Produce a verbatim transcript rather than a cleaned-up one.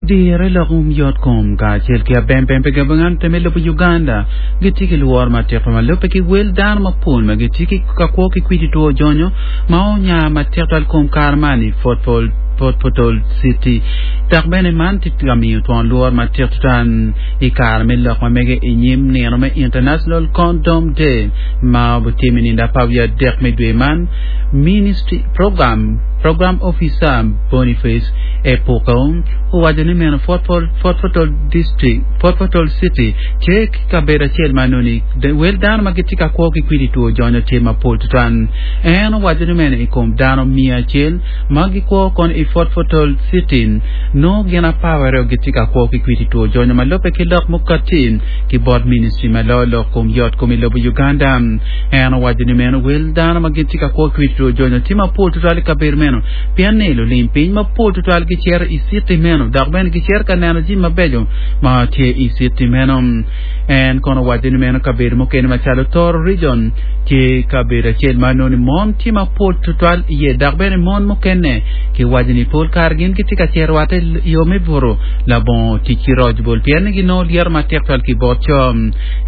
Dire lok yot kom kacel ki abempempe gabangante me lobo Uganda gitye ki lworo matek ma lubbe ki wel dano mapol ma gitye ki ka kwo ki kwidi two jonyo ma onya matek twal kom kare man i Fort Portal City dok bene man tye ka miyo twon lworo matek twal i kare me lok ma mege i nyim nino me International Condom Day ma obitime i nindo apar wiye adek me dwe man Ministry Program Program Officer Boniface Epuko owaco ni meno Fort Portal District Fort Portal City tye ki kabedo acel ma noni wel dano ma gitye ka kwo ki kwidi two jonyo tye mapol tutwal en owaco ni meno i kom dano miya acel ma gikwo kono i Fort Portal City nongo gin apar aryo gitye ka kwo ki kwidi two jonyo ma lubbe ki lok mukati ki bot ministry ma loyo lok kom yot kom i lobo Uganda en owaco ni meno wel dano ma gitye ka kwo ki kwidi two jonyo tye mapol tutwal i kabedo meno pien ni lulim piny mapol tutwal gicito i city meno dok bene gicito ka neno jami mabeco ma tye i city meno en kono owaco ni meno kabedo mukene macalo Toro region tye kabedo acel ma nongo ni mon tye mapol tutwal iye dok bene mon mukene kiwaco ni pol kare gin gitye ka cito rwatte i yo me buto labongo tic ki roc bol pien ni ginongo lyeto matek twal ki bot co